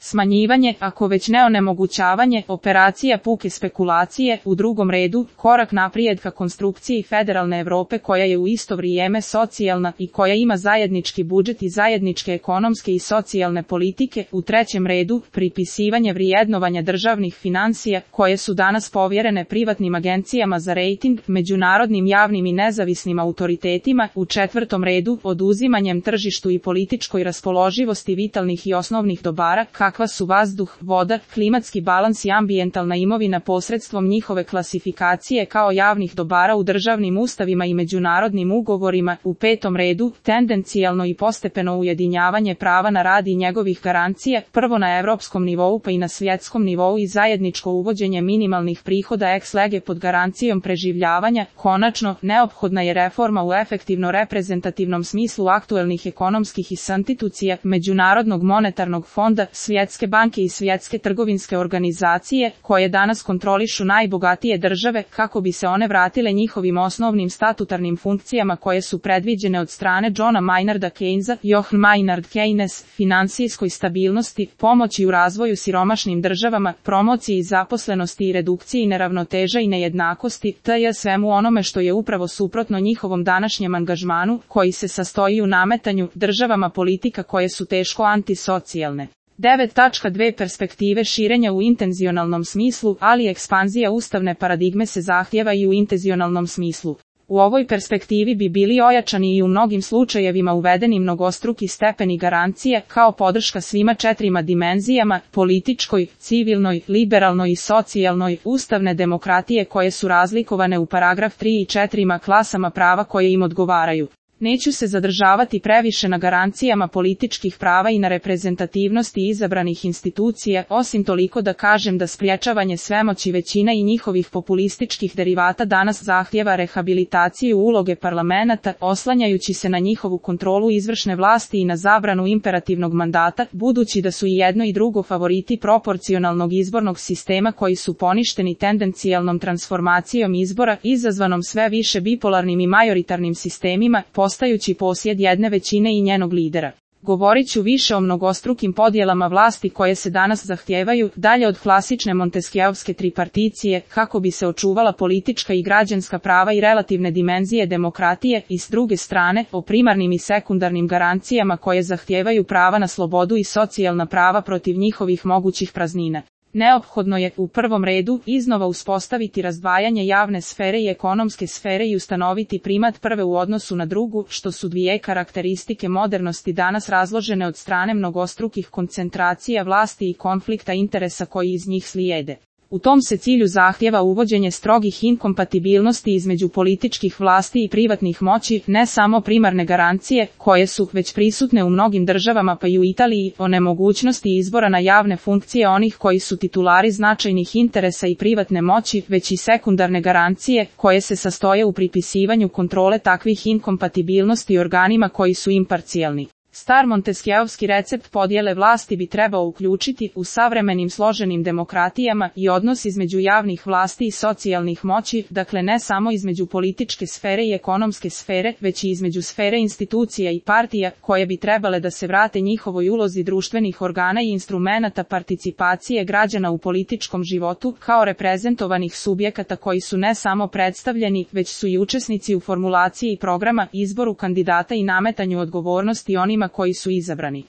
Smanjivanje, ako već ne onemogućavanje, operacija puke spekulacije, u drugom redu, korak naprijed ka konstrukciji federalne Evrope koja je u isto vrijeme socijalna i koja ima zajednički budžet i zajedničke ekonomske i socijalne politike, u trećem redu, pripisivanje vrijednovanja državnih finansija, koje su danas povjerene privatnim agencijama za rejting, međunarodnim javnim i nezavisnim autoritetima, u četvrtom redu, oduzimanjem tržištu i političkoj raspoloživosti vitalnih i osnovnih dobara, kakva su vazduh, voda, klimatski balans i ambijentalna imovina posredstvom njihove klasifikacije kao javnih dobara u državnim ustavima i međunarodnim ugovorima, u petom redu, tendencijalno i postepeno ujedinjavanje prava na rad i njegovih garancija, prvo na evropskom nivou pa i na svjetskom nivou i zajedničko uvođenje minimalnih prihoda ex lege pod garancijom preživljavanja, konačno, neophodna je reforma u efektivno reprezentativnom smislu aktuelnih ekonomskih institucija, Međunarodnog monetarnog fonda, Svjetske banke i Svjetske trgovinske organizacije, koje danas kontrolišu najbogatije države, kako bi se one vratile njihovim osnovnim statutarnim funkcijama koje su predviđene od strane Johna Maynarda Keynesa, Johann Maynard Keynes, finansijskoj stabilnosti, pomoći u razvoju siromašnim državama, promociji zaposlenosti i redukciji neravnoteža i nejednakosti, tj. svemu onome što je upravo suprotno njihovom današnjem angažmanu, koji se sastoji u nametanju državama politika koje su teško antisocijalne. 9.2 Perspektive širenja u intenzionalnom smislu, ali ekspanzija ustavne paradigme se zahtjeva i u intenzionalnom smislu. U ovoj perspektivi bi bili ojačani i u mnogim slučajevima uvedeni mnogostruki stepeni garancije kao podrška svima četirima dimenzijama, političkoj, civilnoj, liberalnoj i socijalnoj, ustavne demokratije koje su razlikovane u paragraf 3 i 4 klasama prava koje im odgovaraju. Neću se zadržavati previše na garancijama političkih prava i na reprezentativnosti izabranih institucija, osim toliko da kažem da spriječavanje svemoći većina i njihovih populističkih derivata danas zahtjeva rehabilitaciju uloge parlamenata, oslanjajući se na njihovu kontrolu izvršne vlasti i na zabranu imperativnog mandata, budući da su i jedno i drugo favoriti proporcionalnog izbornog sistema koji su poništeni tendencijalnom transformacijom izbora, izazvanom sve više bipolarnim i majoritarnim sistemima, postajući posjed jedne većine i njenog lidera. Govorit ću više o mnogostrukim podjelama vlasti koje se danas zahtijevaju, dalje od klasične monteskijevske triparticije, kako bi se očuvala politička i građanska prava i relativne dimenzije demokratije, i s druge strane, o primarnim i sekundarnim garancijama koje zahtijevaju prava na slobodu i socijalna prava protiv njihovih mogućih praznina. Neophodno je, u prvom redu, iznova uspostaviti razdvajanje javne sfere i ekonomske sfere i ustanoviti primat prve u odnosu na drugu, što su dvije karakteristike modernosti danas razložene od strane mnogostrukih koncentracija vlasti i konflikta interesa koji iz njih slijede. U tom se cilju zahtjeva uvođenje strogih inkompatibilnosti između političkih vlasti i privatnih moći, ne samo primarne garancije, koje su već prisutne u mnogim državama pa i u Italiji, o nemogućnosti izbora na javne funkcije onih koji su titulari značajnih interesa i privatne moći, već i sekundarne garancije, koje se sastoje u pripisivanju kontrole takvih inkompatibilnosti organima koji su imparcijalni. Star monteskijevski recept podjele vlasti bi trebao uključiti, u savremenim složenim demokratijama, i odnos između javnih vlasti i socijalnih moći, dakle ne samo između političke sfere i ekonomske sfere, već i između sfere institucija i partija, koje bi trebale da se vrate njihovoj ulozi društvenih organa i instrumenata participacije građana u političkom životu, kao reprezentovanih subjekata koji su ne samo predstavljeni, već su i učesnici u formulaciji programa, izboru kandidata i nametanju odgovornosti onima koji su izabrani.